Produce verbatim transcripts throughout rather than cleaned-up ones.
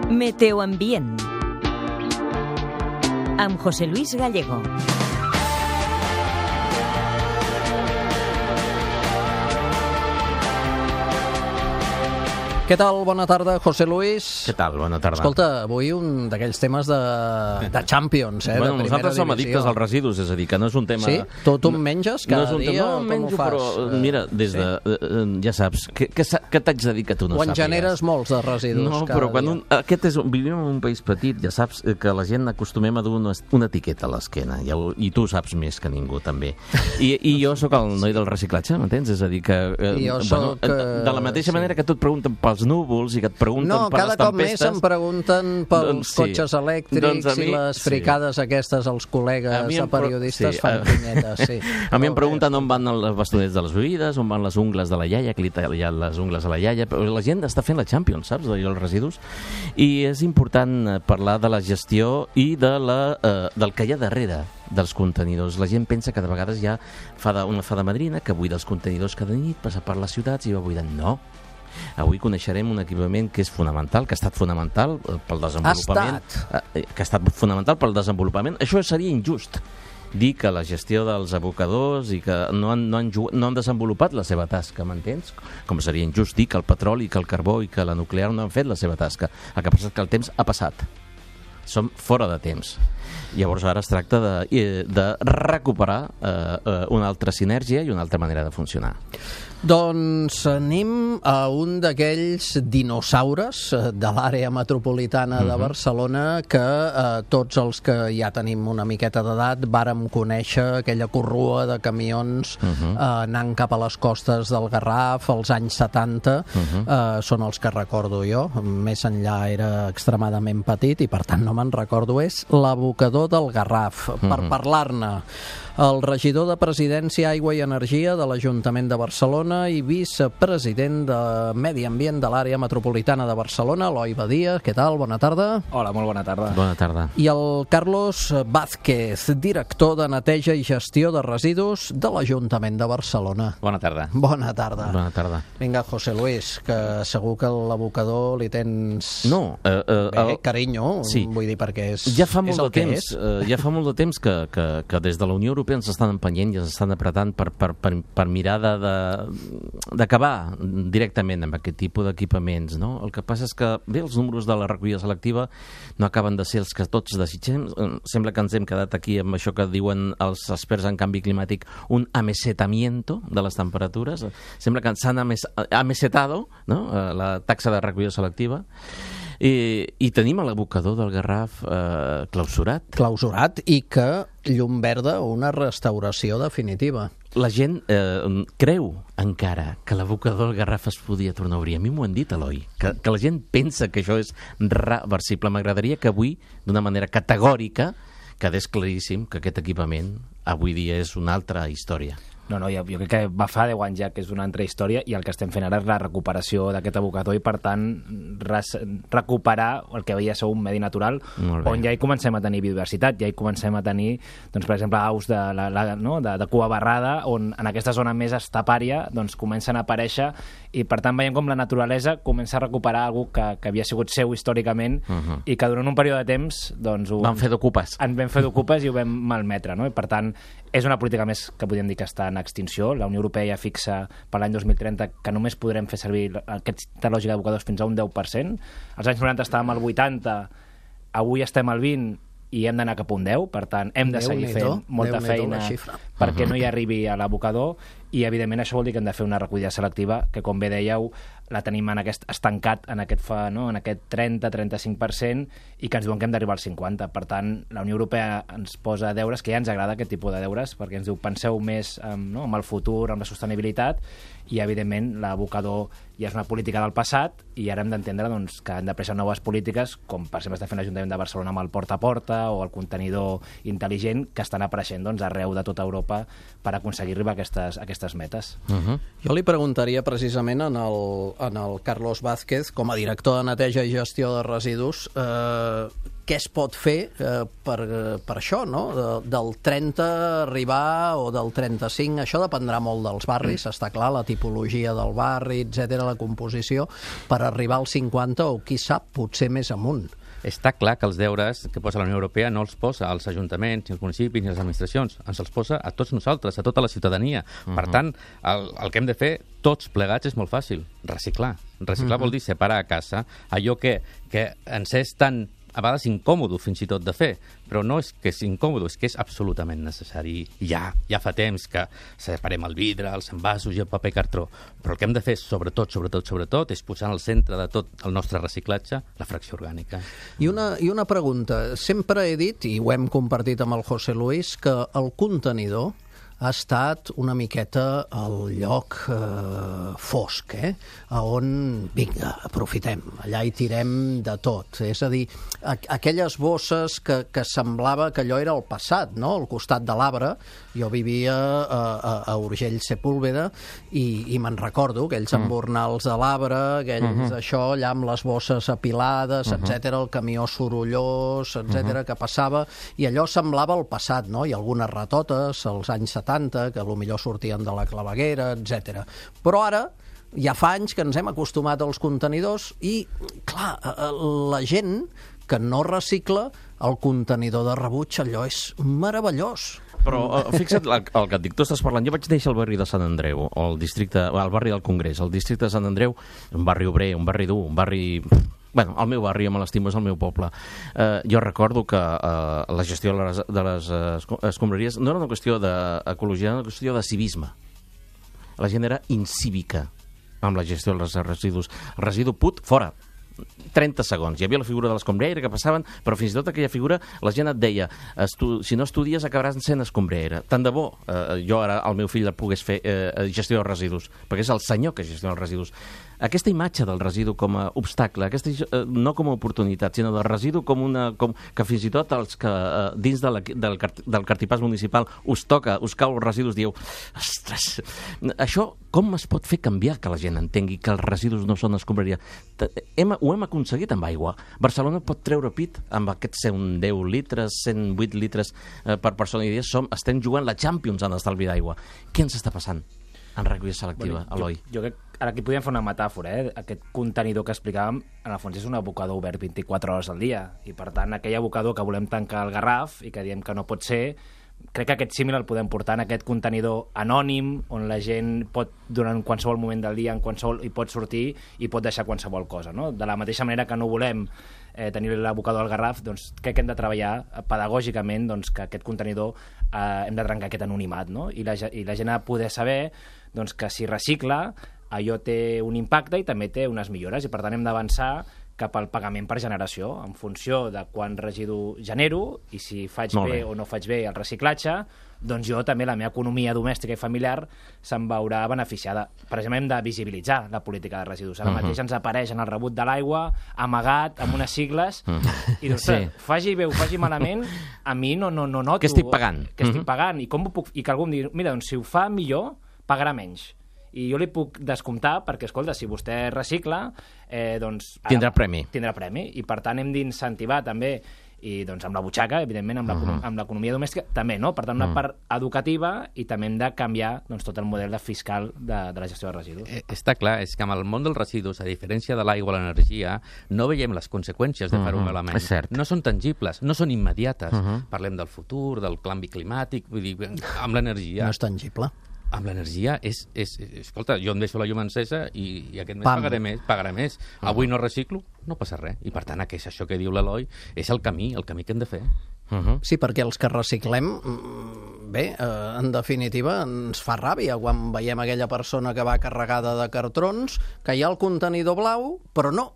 Meteoambient amb José Luis Gallego. Què tal? Bona tarda, José Luis. Què tal? Bona tarda. Escolta, avui un d'aquells temes de, de Champions, eh, bueno, de primera nosaltres som divisió. addictes als residus, és a dir, que no és un tema... Sí? Tu, tu en menges cada no és un dia? tema, no, Com menjo, ho fas? però mira, des sí? de... Eh, ja saps, què, què, què t'haig de dir que tu no o en sàpigues? generes molts de residus no, cada però quan dia? un, aquest és, vivim en un país petit, ja saps que la gent acostumem a dur una, una etiqueta a l'esquena, i, i tu saps més que ningú, també. I, i jo sóc el noi del reciclatge, m'entens? És a dir, que... Eh, jo bueno, soc, de, de la mateixa sí. manera que tu et pregunten pels núvols i que et pregunten no, per les cada cop tempestes... més em pregunten pels doncs, sí. cotxes elèctrics doncs mi, i les fricades sí. aquestes als col·legues de periodistes sí, fan uh, pinyetes, sí. A mi em pregunten on van els bastonets de les bebides, on van les ungles de la iaia, que li tallen les ungles a la iaia, però la gent està fent la Champions, saps, dels residus, i és important parlar de la gestió i de la, eh, del que hi ha darrere dels contenidors. La gent pensa que de vegades hi ha fada, una fada madrina que buida els contenidors cada nit, passa per les ciutats i va buidant. No. Avui coneixerem un equipament que és fonamental, que ha estat fonamental pel desenvolupament. Ha estat. Que ha estat fonamental pel desenvolupament. Això seria injust, dir que la gestió dels abocadors i que no han, no han, no han desenvolupat la seva tasca, m'entens? Com seria injust dir que el petroli, que el carbó i que la nuclear no han fet la seva tasca. El que passa és que el temps ha passat. Som fora de temps. Llavors ara es tracta de, de recuperar eh, una altra sinergia i una altra manera de funcionar. Doncs anem a un d'aquells dinosaures de l'àrea metropolitana de Barcelona que eh, tots els que ja tenim una miqueta d'edat vàrem conèixer aquella corrua de camions uh -huh. eh, anant cap a les costes del Garraf als anys setanta, uh -huh. eh, són els que recordo jo, més enllà era extremadament petit i per tant no me'n recordo, és l'abocador del Garraf. Uh -huh. Per parlar-ne, el regidor de Presidència, Aigua i Energia de l'Ajuntament de Barcelona i vicepresident de Medi Ambient de l'àrea metropolitana de Barcelona, Eloi Badia. Què tal? Bona tarda. Hola, molt bona tarda. Bona tarda. I el Carlos Vázquez, director de Neteja i Gestió de Residus de l'Ajuntament de Barcelona. Bona tarda. Bona tarda. Bona tarda. Vinga, José Luis, que segur que l'abocador li tens... No, eh, eh, Bé, el... carinyo, sí. vull dir, perquè és, ja fa molt és el de que temps, és. eh, ja fa molt de temps que, que, que des de la Unió Europea ens estan empenyent i ens estan apretant per, per, per, per mirar d'acabar directament amb aquest tipus d'equipaments, no? El que passa és que, bé, els números de la recollida selectiva no acaben de ser els que tots desitgem. Sembla que ens hem quedat aquí amb això que diuen els experts en canvi climàtic, un amesetamiento de les temperatures. Sembla que s'han ames, amesetado, no? La taxa de recollida selectiva. I, i tenim l'abocador del Garraf eh, clausurat. Clausurat i que llum verda una restauració definitiva. La gent eh, creu encara que l'abocador del Garraf es podia tornar a obrir. A mi m'ho han dit, Eloi, que, que la gent pensa que això és reversible. M'agradaria que avui, d'una manera categòrica, quedés claríssim que aquest equipament avui dia és una altra història. No, no, jo, jo crec que va fa deu anys ja que és una altra història i el que estem fent ara és la recuperació d'aquest abocador i, per tant, res, recuperar el que havia ser un medi natural on ja hi comencem a tenir biodiversitat, ja hi comencem a tenir, doncs, per exemple, aus de, la, la, no? de, de cua barrada, on en aquesta zona més estepària doncs, comencen a aparèixer i, per tant, veiem com la naturalesa comença a recuperar algú que, que havia sigut seu històricament uh -huh. i que durant un període de temps doncs, ho, vam fer d'ocupes. En vam fer d'ocupes i ho vam malmetre, no? I, per tant, és una política més que podríem dir que està en extinció. La Unió Europea ja fixa per l'any dos mil trenta que només podrem fer servir aquesta lògica d'abocadors fins a un deu per cent. Als anys noranta estàvem al vuitanta, avui estem al vint i hem d'anar cap a un deu, per tant hem de seguir fent molta feina perquè no hi arribi a l'abocador i evidentment això vol dir que hem de fer una recollida selectiva que, com bé dèieu, la tenim en aquest estancat en aquest, fa, no? en aquest trenta a trenta-cinc per cent i que ens diuen que hem d'arribar al cinquanta. Per tant, la Unió Europea ens posa deures, que ja ens agrada aquest tipus de deures, perquè ens diu penseu més um, no? amb el futur, amb la sostenibilitat, i evidentment l'abocador ja és una política del passat i ara hem d'entendre doncs, que han de prendre noves polítiques, com per exemple està fent l'Ajuntament de Barcelona amb el porta a porta o el contenidor intel·ligent, que estan apareixent doncs, arreu de tota Europa per aconseguir arribar a aquestes, a aquestes metes. Uh-huh. Jo li preguntaria precisament en el, en el Carlos Vázquez, com a director de Neteja i Gestió de Residus, eh, què es pot fer eh, per, per això, no? De, del trenta arribar o del trenta-cinc, això dependrà molt dels barris, està clar, la tipologia del barri, etcètera, la composició, per arribar al cinquanta o, qui sap, potser més amunt. Està clar que els deures que posa la Unió Europea no els posa als ajuntaments, ni als municipis, ni a les administracions. Ens els posa a tots nosaltres, a tota la ciutadania. Uh-huh. Per tant, el, el que hem de fer tots plegats és molt fàcil. Reciclar. Reciclar uh-huh. vol dir separar a casa allò que, que ens és tan, a vegades, incòmodo fins i tot de fer. Però no és que és incòmodo, és que és absolutament necessari. Ja, ja fa temps que separem el vidre, els envasos i el paper cartró. Però el que hem de fer, sobretot, sobretot, sobretot, és posar al centre de tot el nostre reciclatge la fracció orgànica. I una, i una pregunta. Sempre he dit, i ho hem compartit amb el José Luis, que el contenidor ha estat una miqueta el lloc eh, fosc, eh? A on, vinga, aprofitem, allà hi tirem de tot. És a dir, aqu aquelles bosses que, que semblava que allò era el passat, no? Al costat de l'Arbre, jo vivia a, a, a Urgell Sepúlveda i, i me'n recordo, aquells mm. embornals de l'Arbre, aquells mm -hmm. això, allà amb les bosses apilades, mm -hmm. etcètera, el camió sorollós, etcètera, mm -hmm. que passava, i allò semblava el passat, no? I algunes ratotes, als anys setanta, que potser sortien de la claveguera, etcètera. Però ara ja fa anys que ens hem acostumat als contenidors i, clar, la gent que no recicla, el contenidor de rebuig, allò és meravellós. Però uh, fixa't el, el que et dic, tu estàs parlant, jo vaig néixer al barri de Sant Andreu, o el districte, al barri del Congrés, el districte de Sant Andreu, un barri obrer, un barri dur, un barri... Bueno, el meu barri, me l'estimo, és el meu poble. Eh, jo recordo que eh, la gestió de les, de les eh, escombraries no era una qüestió d'ecologia, era una qüestió de civisme. La gent era incívica amb la gestió dels residus. El residu put, fora. trenta segons. Hi havia la figura de l'escombraire que passaven, però fins i tot aquella figura la gent et deia, si no estudies acabaràs sent escombraire. Tant de bo eh, jo ara el meu fill el pogués fer eh, gestió dels residus, perquè és el senyor que gestiona els residus. Aquesta imatge del residu com a obstacle, aquesta, eh, no com a oportunitat, sinó del residu com una... Com, que fins i tot els que eh, dins de la, del, del cartipàs municipal us toca, us cau els residus, dieu, ostres, això com es pot fer canviar que la gent entengui que els residus no són escombraria? Hem, ho hem aconseguit amb aigua. Barcelona pot treure pit amb aquests cent deu litres, cent vuit litres eh, per persona i dia. Som, estem jugant la Champions en estalvi d'aigua. Què ens està passant en recollida selectiva, bueno, Eloi? Jo, jo crec ara aquí podríem fer una metàfora, eh? Aquest contenidor que explicàvem, en el fons és un abocador obert vint-i-quatre hores al dia, i per tant aquell abocador que volem tancar al Garraf i que diem que no pot ser, crec que aquest símil el podem portar en aquest contenidor anònim, on la gent pot, durant qualsevol moment del dia, en qualsevol, i pot sortir i pot deixar qualsevol cosa, no? De la mateixa manera que no volem eh, tenir l'abocador al Garraf, doncs crec que hem de treballar pedagògicament, doncs, que aquest contenidor eh, hem de trencar aquest anonimat, no? I la, i la gent ha de poder saber doncs, que si recicla allò té un impacte i també té unes millores, i per tant hem d'avançar cap al pagament per generació, en funció de quant residu genero i si faig bé, bé o no faig bé el reciclatge, doncs jo també, la meva economia domèstica i familiar se'n veurà beneficiada. Per exemple, hem de visibilitzar la política de residus. Ara uh -huh. mateix ens apareix en el rebut de l'aigua, amagat, amb unes sigles, uh -huh. i doncs, sí. faci bé o faci malament, a mi no, no, no noto... Que estic pagant. Que estic uh -huh. pagant, i, com ho puc, i que algú em digui, mira, doncs si ho fa millor, pagarà menys. I jo li puc descomptar perquè, escolta, si vostè recicla, eh, doncs... Ara, tindrà premi. Tindrà premi, i per tant hem d'incentivar també, i doncs amb la butxaca, evidentment, amb uh-huh. l'economia domèstica, també, no? Per tant, una uh-huh. part educativa, i també hem de canviar doncs, tot el model de fiscal de, de la gestió de residus. Eh, està clar, és que amb el món dels residus, a diferència de l'aigua o l'energia, no veiem les conseqüències de uh-huh. fer un element. És cert. No són tangibles, no són immediates. Uh-huh. Parlem del futur, del canvi climàtic, vull dir, amb l'energia... No és tangible. Amb l'energia és, és, és... Escolta, jo em deixo la llum encesa i, i aquest mes Pam. pagaré més. Pagaré més. Uh -huh. Avui no reciclo, no passa res. I per tant, que és això que diu l'Eloi, és el camí, el camí que hem de fer. Uh -huh. Sí, perquè els que reciclem, bé, eh, en definitiva, ens fa ràbia quan veiem aquella persona que va carregada de cartrons, que hi ha el contenidor blau, però no.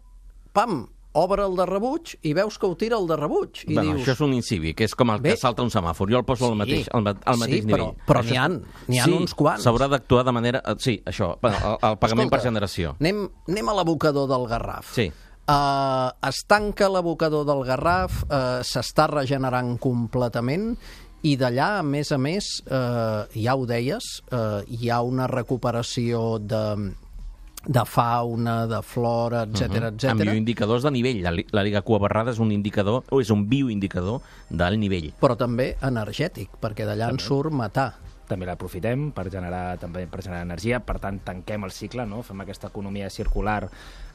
Pam! Obre el de rebuig i veus que ho tira el de rebuig. I bueno, dius... això és un incívic, és com el Bé, que salta un semàfor. Jo el poso sí, al mateix, al, al mateix sí, nivell. Però, però n'hi ha, n'hi ha sí, uns quants. S'haurà d'actuar de manera... Sí, això, bueno, el, el pagament Escolta, per generació. Anem, anem a l'abocador del Garraf. Sí. Uh, es tanca l'abocador del Garraf, uh, s'està regenerant completament, i d'allà, a més a més, uh, ja ho deies, uh, hi ha una recuperació de... de fauna, de flora, etcètera, Uh-huh. etcètera. Amb bioindicadors de nivell. La, la Liga Cua Barrada és un indicador, o és un bioindicador del nivell. Però també energètic, perquè d'allà en surt metà. També l'aprofitem per generar, també per generar energia, per tant tanquem el cicle, no? Fem aquesta economia circular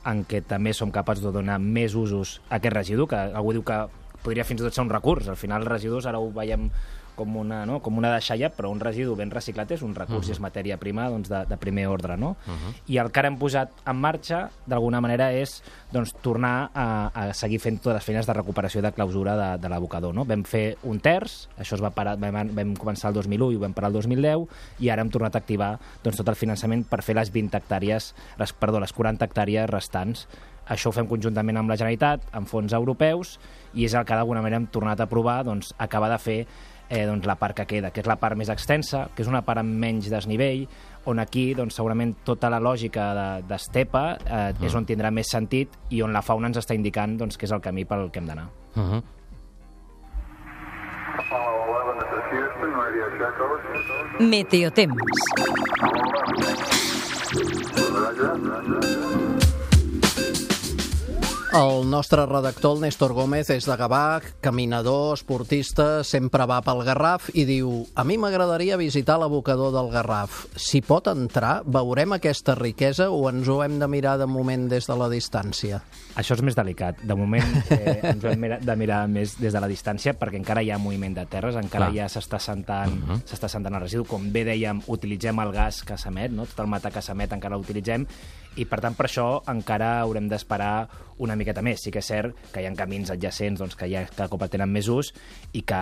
en què també som capaços de donar més usos a aquest residu, que algú diu que podria fins i tot ser un recurs. Al final els residus ara ho veiem com una, no? com una deixalla, però un residu ben reciclat és un recurs, uh-huh. i és matèria prima doncs, de, de primer ordre. No? Uh-huh. I el que ara hem posat en marxa, d'alguna manera, és doncs, tornar a, a seguir fent totes les feines de recuperació i de clausura de, de l'abocador. No? Vam fer un terç, això es va parar, vam, vam començar el dos mil u i ho vam parar el dos mil deu, i ara hem tornat a activar doncs, tot el finançament per fer les vint hectàrees, les, perdó, les quaranta hectàrees restants. Això ho fem conjuntament amb la Generalitat, amb fons europeus, i és el que d'alguna manera hem tornat a provar, doncs, acabar de fer eh, doncs, la part que queda, que és la part més extensa, que és una part amb menys desnivell, on aquí doncs, segurament tota la lògica d'estepa de, eh, uh-huh. és on tindrà més sentit i on la fauna ens està indicant doncs, que és el camí pel que hem d'anar. Uh-huh. Meteotemps. El nostre redactor, el Néstor Gómez, és de Gavà, caminador, esportista, sempre va pel Garraf i diu: a mi m'agradaria visitar l'abocador del Garraf. Si pot entrar, veurem aquesta riquesa o ens ho hem de mirar de moment des de la distància? Això és més delicat. De moment eh, ens ho hem de mirar més des de la distància perquè encara hi ha moviment de terres, encara Clar. ja s'està sentant, uh-huh. s'està sentant el residu. Com bé dèiem, utilitzem el gas que s'emet, no? Tot el metà que s'emet encara l'utilitzem, i per tant per això encara haurem d'esperar una miqueta més. Sí que és cert que hi ha camins adjacents doncs, que ja cada cop tenen més ús i que,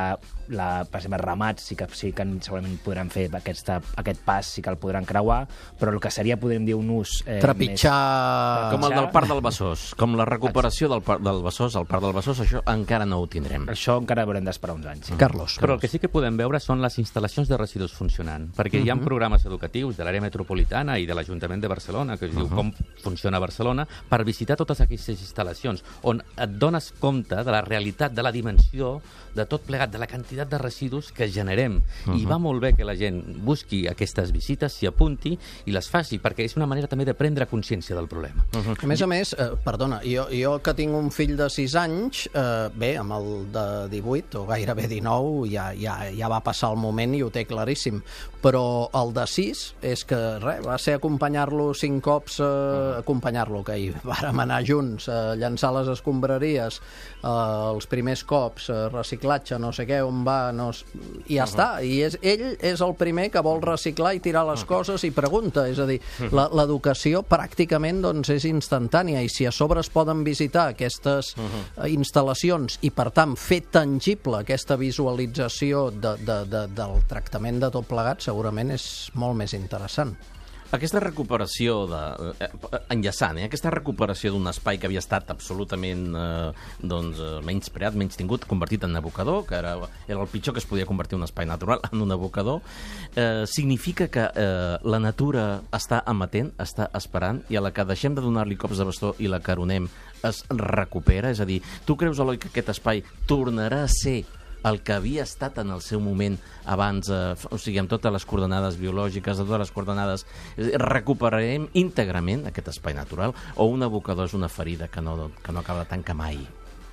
la, per exemple, ramats sí que, sí que segurament podran fer aquesta, aquest pas, sí que el podran creuar, però el que seria, podríem dir, un ús... Eh, Trepitjar... Més... Com el del Parc del Besòs, com la recuperació del, par del Besòs, el Parc del Besòs, això encara no ho tindrem. Això encara haurem d'esperar uns anys. Sí. Carlos. Però el que sí que podem veure són les instal·lacions de residus funcionant, perquè uh-huh. hi ha programes educatius de l'àrea metropolitana i de l'Ajuntament de Barcelona, que es diu uh-huh. com funciona Barcelona, per visitar totes aquestes instal·lacions, on et dones compte de la realitat, de la dimensió, de tot plegat, de la quantitat de residus que generem. Uh-huh. I va molt bé que la gent busqui aquestes visites, s'hi apunti i les faci, perquè és una manera també de prendre consciència del problema. Uh-huh. A més a més, eh, perdona, jo, jo que tinc un fill de sis anys, eh, bé, amb el de divuit o gairebé dinou ja, ja, ja va passar el moment i ho té claríssim, però el de sis és que res, va ser acompanyar-lo cinc cops, eh, uh-huh. acompanyar-lo, que hi vàrem anar junts, eh, llançar les escombraries, eh, els primers cops, eh, reciclatge, no sé què, on va, no... i ja uh-huh. està, i és, ell és el primer que vol reciclar i tirar les uh-huh. coses i pregunta, és a dir, uh-huh. l'educació pràcticament doncs, és instantània, i si a sobre es poden visitar aquestes uh-huh. instal·lacions i per tant fer tangible aquesta visualització de, de, de, del tractament de tot plegat, segurament és molt més interessant. Aquesta recuperació, de, eh, enllaçant, eh, aquesta recuperació d'un espai que havia estat absolutament eh, doncs, menyspreat, menys tingut, convertit en abocador, que era, era el pitjor que es podia convertir un espai natural en un abocador, eh, significa que eh, la natura està amatent, està esperant, i a la que deixem de donar-li cops de bastó i la caronem es recupera? És a dir, tu creus, Eloi, que aquest espai tornarà a ser el que havia estat en el seu moment abans, eh, o sigui, amb totes les coordenades biològiques, amb totes les coordenades, recuperarem íntegrament aquest espai natural, o un abocador és una ferida que no, que no acaba de tancar mai?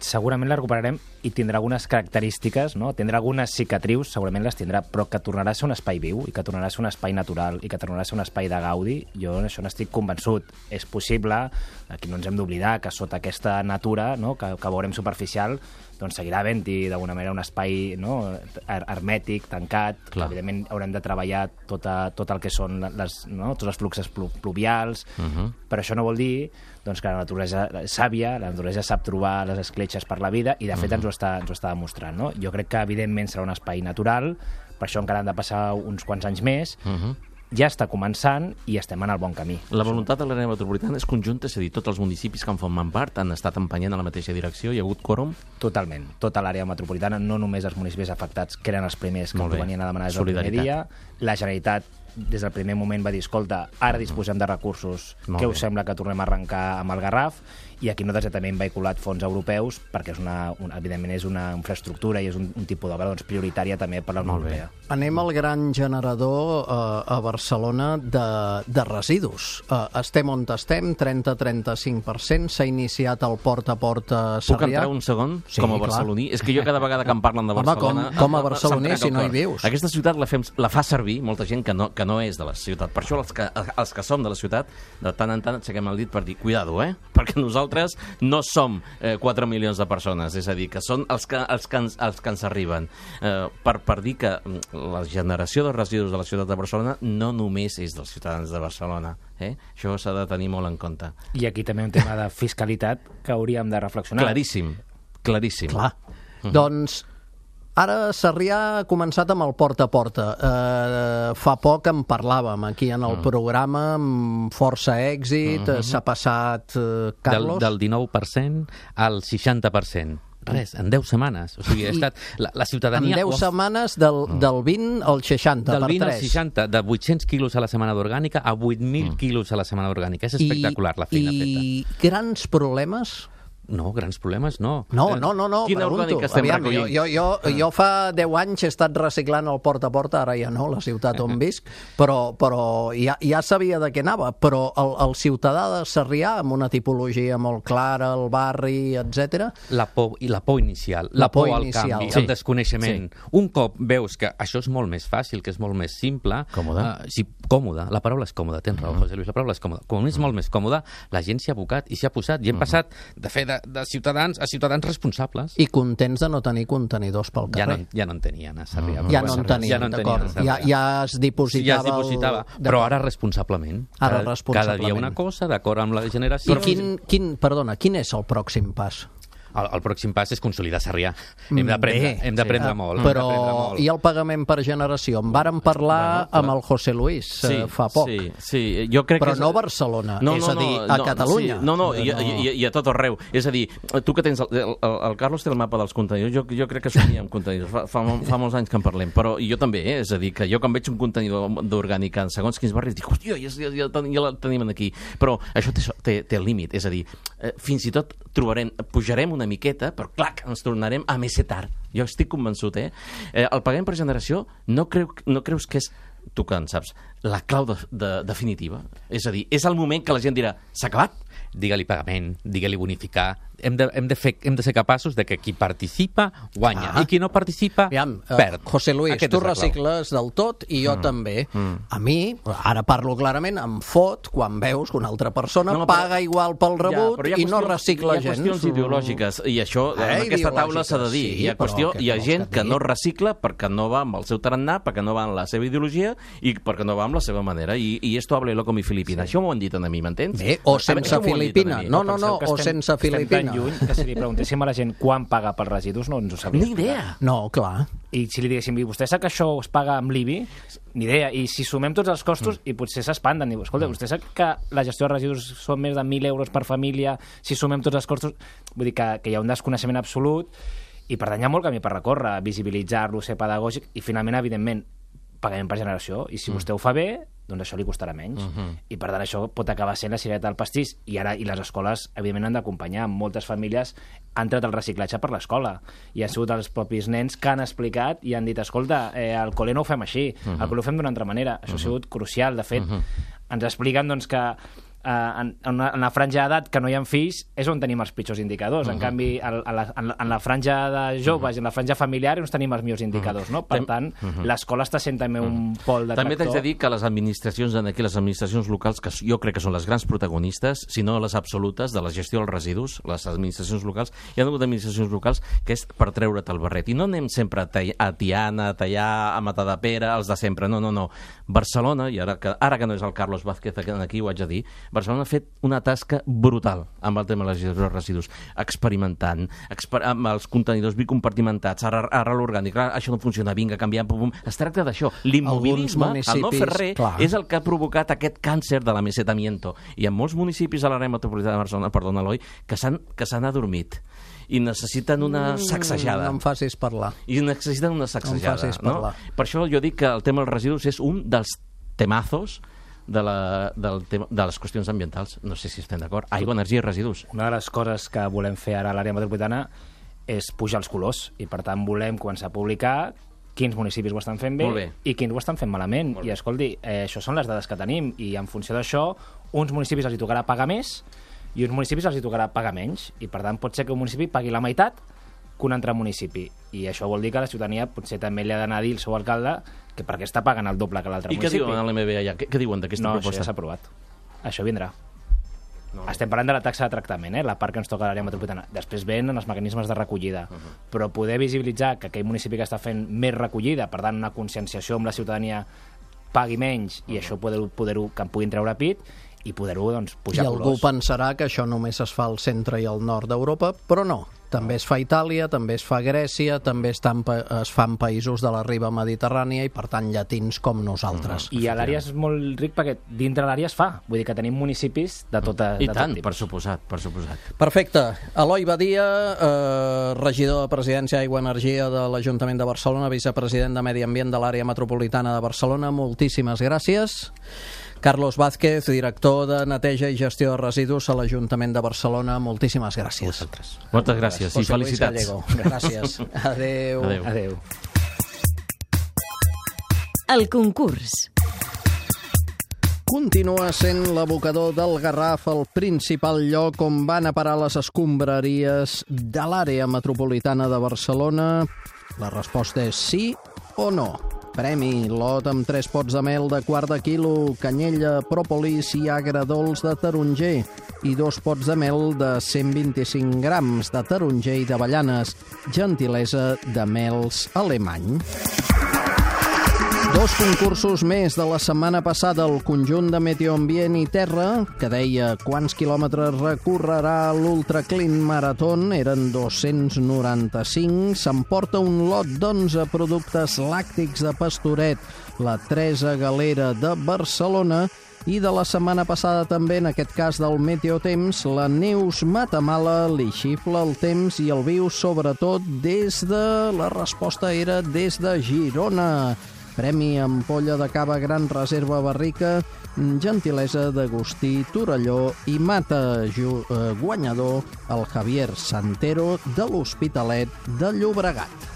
Segurament la recuperarem i tindrà algunes característiques, no? Tindrà algunes cicatrius, segurament les tindrà, però que tornarà a ser un espai viu i que tornarà a ser un espai natural i que tornarà a ser un espai de gaudi, jo això n'estic convençut. És possible, aquí no ens hem d'oblidar, que sota aquesta natura, no? que, que veurem superficial, doncs seguirà havent-hi d'alguna manera un espai, no? hermètic, tancat. Clar. Evidentment haurem de treballar tota, tot el que són les, no? tots els fluxes plu pluvials, uh-huh. però això no vol dir doncs, que la naturalesa és sàvia, la naturalesa sap trobar les escletxes per la vida, i de fet uh-huh. ens, ho està, ens ho està demostrant. No? Jo crec que evidentment serà un espai natural, per això encara han de passar uns quants anys més, uh-huh. ja està començant i estem en el bon camí. La voluntat de l'àrea metropolitana és conjunta, és a dir, tots els municipis que en formen part han estat empenyent a la mateixa direcció, hi ha hagut quòrum? Totalment. Tota l'àrea metropolitana, no només els municipis afectats, que eren els primers que venien a demanar des del primer dia. La Generalitat des del primer moment va dir, escolta, ara disposem de recursos, Molt què bé. us sembla que tornem a arrencar amb el Garraf? I aquí nosaltres també hem vehiculat fons europeus perquè és una, una, evidentment és una infraestructura i és un, un tipus d'obra doncs, prioritària també per la Unió Europea. Anem al gran generador eh, a Barcelona de, de residus. Eh, estem on estem, trenta a trenta-cinc per cent, s'ha iniciat el porta a porta a Puc Sarrià. entrar un segon Sí, com a clar. barceloní? És que jo cada vegada que em parlen de Home, Barcelona... com- com a barceloní, se'm si no hi trenca el cor. vius. Aquesta ciutat la, fem, la fa servir molta gent que no, que no és de la ciutat. Per això els que, els que som de la ciutat, de tant en tant aixequem el dit per dir, cuidado, eh? Perquè nosaltres no som eh, quatre milions de persones, és a dir, que són els que, els que, ens, els que ens arriben. Eh, per, per dir que la generació de residus de la ciutat de Barcelona no només és dels ciutadans de Barcelona. Eh? Això s'ha de tenir molt en compte. I aquí també un tema de fiscalitat que hauríem de reflexionar. Claríssim, claríssim. Clar. Doncs ara Sarrià ha començat amb el porta a porta. Eh, fa poc en parlàvem aquí en el programa amb força èxit, eh, s'ha passat, eh, Del, Carlos... del dinou per cent al seixanta per cent. Res, en deu setmanes. O sigui, ha estat... La, la En ciutadania... deu ho ha- setmanes del, del vint al seixanta, del per vint al tres. seixanta, de vuit-cents quilos a la setmana d'orgànica a vuit mil quilos a la setmana d'orgànica. És espectacular la feina I, feta. I grans problemes? No, grans problemes no. No, Eh, no, no, no, Quina pregunto. orgànica estem Aviam, jo, recollint? jo, jo, jo fa deu anys he estat reciclant el porta a porta, ara ja no, la ciutat on visc, però, però ja, ja sabia de què anava, però el, el ciutadà de Sarrià, amb una tipologia molt clara, el barri, etcètera. La por, i la por inicial, la, La por por, inicial. al canvi, Sí. el desconeixement. Un cop veus que això és molt més fàcil, que és molt més simple... Còmode. Uh, sí, còmode. La paraula és còmode, tens raó, José Luis, la paraula és còmode. Com és molt més còmode, la gent s'hi ha abocat i s'hi ha posat. I hem passat de fer de, de ciutadans a ciutadans responsables. I contents de no tenir contenidors pel Ja carrer. no, ja no en tenien a Sarrià. Ja no en tenien, ja no en tenien a d'acord. Sarrià. Ja, ja es Sí, dipositava... ja es dipositava, el- però ara responsablement. Ara cada, responsablement. Cada dia una cosa, d'acord amb la generació. I quin, quin, perdona, quin és el pròxim pas? El, el pròxim pas és consolidar Sarrià. Mm, Hem d'aprendre bé, hem d'aprendre sí. molt. Però hem d'aprendre molt. i el pagament per generació? En vàrem parlar Bueno, amb el José Luis eh, fa poc. Sí, sí, jo crec Però que... és- no a Barcelona, no, és no, a dir, no, a no, Catalunya. Sí, no, no, i, i, i, i a tot arreu. És a dir, tu que tens... El, el, el Carlos té el mapa dels contenidors, jo, jo crec que somia amb contenidors, fa, fa, fa molts anys que en parlem, però jo també, eh? És a dir, que jo quan veig un contenidor d'orgànica en segons quins barris, dic, hòstia, ja, ja, ja, ja la tenim aquí. Però això té, té, té el límit, és a dir, eh, fins i tot trobarem, pujarem una miqueta, però clac, ens tornarem a mesetar. Jo estic convençut, eh? eh el pagament per generació no, creu, no creus que és, tu que en saps, la clau de, de, definitiva? És a dir, és el moment que la gent dirà, s'ha acabat? Digue-li pagament, digue-li bonificar. Hem de, hem, de fer, hem de ser capaços de que qui participa guanya Ah. i qui no participa Aviam, eh, perd. José Luis, Aquesta tu és la clau. recicles del tot i jo mm. també. Mm. A mi, ara parlo clarament, em fot quan veus que una altra persona No, no, però- paga igual pel rebut però hi ha i no qüestions- recicla hi ha gens. qüestions ideològiques i això Eh, en aquesta taula s'ha de dir. ideològiques, Hi ha, sí, però qüestió, què hi ha vols gent que et que digui? no recicla perquè no va amb el seu tarannà, perquè no va amb la seva ideologia i perquè no va amb la seva manera. I, i esto hable loco mi Filipina. Sí. Això m'ho han dit a mi, m'entens? Bé, o A mi sense això m'ho han dit a Filipina. mi. No, no, no, Penseu que o estem- sense Filipina. Estem tan lluny que si li preguntéssim a la gent quan paga pels residus no ens ho sabria. Ni idea. No, clar. I si li diguéssim, "I vostè sap que això es paga amb l'I B I? Ni idea. I si sumem tots els costos, mm. i potser s'espanten, diu, escolta, vostè sap que la gestió de residus són més de mil euros per família, si sumem tots els costos... Vull dir que, que hi ha un desconeixement absolut i per tant hi ha molt camí per recórrer, visibilitzar-lo, ser pedagògic i finalment, evidentment, pagament per generació. I si mm. vostè ho fa bé, doncs això li costarà menys. Uh -huh. I per tant això pot acabar sent la cirereta del pastís. I ara i les escoles, evidentment, han d'acompanyar. Moltes famílies han tret el reciclatge per l'escola. I han sigut els propis nens que han explicat i han dit, escolta, eh, al col·le no ho fem així, uh -huh. al col·le ho fem d'una altra manera. Això uh -huh. ha sigut crucial. De fet, uh -huh. ens expliquen doncs, que Uh, en, en, una, en la franja d'edat que no hi ha fills és on tenim els pitjors indicadors. Uh -huh. En canvi, a, a la, en, la, en la franja de joves uh -huh. i en la franja familiar és on tenim els millors indicadors. No? Per tant, uh -huh. l'escola està sent també un pol de També tractor. t'haig de dir que les administracions aquí, les administracions locals, que jo crec que són les grans protagonistes, si no les absolutes, de la gestió dels residus, les administracions locals, hi ha hagut administracions locals que és per treure't el barret. I no anem sempre a, a Tiana, a Tallà, a Matadepera, els de sempre. No, no, no. Barcelona, i ara que, ara que no és el Carlos Vázquez aquí, ho haig de dir, Barcelona ha fet una tasca brutal amb el tema de la gestió dels residus, experimentant, exper amb els contenidors bicompartimentats, ara, ara l'orgànic, ara això no funciona, vinga, canviant, pum, pum. Es tracta d'això. L'immobilisme, el no fer res, clar, és el que ha provocat aquest càncer de l'amesetamiento. I en molts municipis a l'àrea metropolitana de Barcelona, perdona, Eloi, que s'han que s'han adormit i necessiten una sacsejada. No em facis parlar. I necessiten una sacsejada. No em facis no? parlar. Per això jo dic que el tema dels residus és un dels temazos de, la, del tema, de les qüestions ambientals. No sé si estem d'acord. Aigua, energia i residus. Una de les coses que volem fer ara a l'àrea metropolitana és pujar els colors, i per tant volem començar a publicar quins municipis ho estan fent bé, bé. i quins ho estan fent malament. I escolti, eh, això són les dades que tenim, i en funció d'això, uns municipis els hi tocarà pagar més i uns municipis els hi tocarà pagar menys, i per tant pot ser que un municipi pagui la meitat que un altre municipi, i això vol dir que la ciutadania potser també li ha d'anar a dir al seu alcalde que per què està pagant el doble que l'altre I què municipi. diuen a l'M B allà? Què, què diuen d'aquesta no, proposta? No, això ja s'ha aprovat. Això vindrà. No. Estem parlant de la taxa de tractament, eh? La part que ens toca a l'àrea metropolitana. Després venen els mecanismes de recollida. Uh -huh. Però poder visibilitzar que aquell municipi que està fent més recollida, per tant, una conscienciació amb la ciutadania, pagui menys, uh -huh. i això poder-ho, poder-ho, que en puguin treure pit, i poder-ho doncs, pujar I algú colors. pensarà que això només es fa al centre i al nord d'Europa, però no. També es fa a Itàlia, també es fa a Grècia, també es, tan, es fa en països de la riba mediterrània i, per tant, llatins com nosaltres. I a l'àrea és molt ric perquè dintre l'àrea es fa. Vull dir que tenim municipis de tota I de tant, tot per suposat, per suposat. Perfecte. Eloi Badia, eh, regidor de Presidència, Aigua i Energia de l'Ajuntament de Barcelona, vicepresident de Medi Ambient de l'àrea metropolitana de Barcelona, moltíssimes gràcies. Carlos Vázquez, director de Neteja i Gestió de Residus a l'Ajuntament de Barcelona, moltíssimes gràcies. Vosaltres. Moltes gràcies i José Luis felicitats. Gallego. Gràcies. Adéu. Adéu. Adéu. El concurs. Continua sent l'abocador del Garraf el principal lloc on van a parar les escombraries de l'àrea metropolitana de Barcelona? La resposta és sí o no. Premi, lot amb tres pots de mel de quart de quilo, canyella, pròpolis i agre dolç de taronger i dos pots de mel de cent vint-i-cinc grams de taronger i d'avellanes, gentilesa de mels alemany. Dos concursos més de la setmana passada. El conjunt de Meteo Ambient i Terra, que deia quants quilòmetres recorrerà l'Ultra Clean Marathon, eren dos-cents noranta-cinc, s'emporta un lot d'onze productes làctics de Pastoret, la Teresa Galera de Barcelona, i de la setmana passada també, en aquest cas del Meteotemps, la Neus Matamala li xifla el temps i el viu sobretot des de... La resposta era des de Girona. Premi ampolla de cava Gran Reserva Barrica, gentilesa d'Agustí Torelló i mata guanyador el Javier Santero de l'Hospitalet de Llobregat.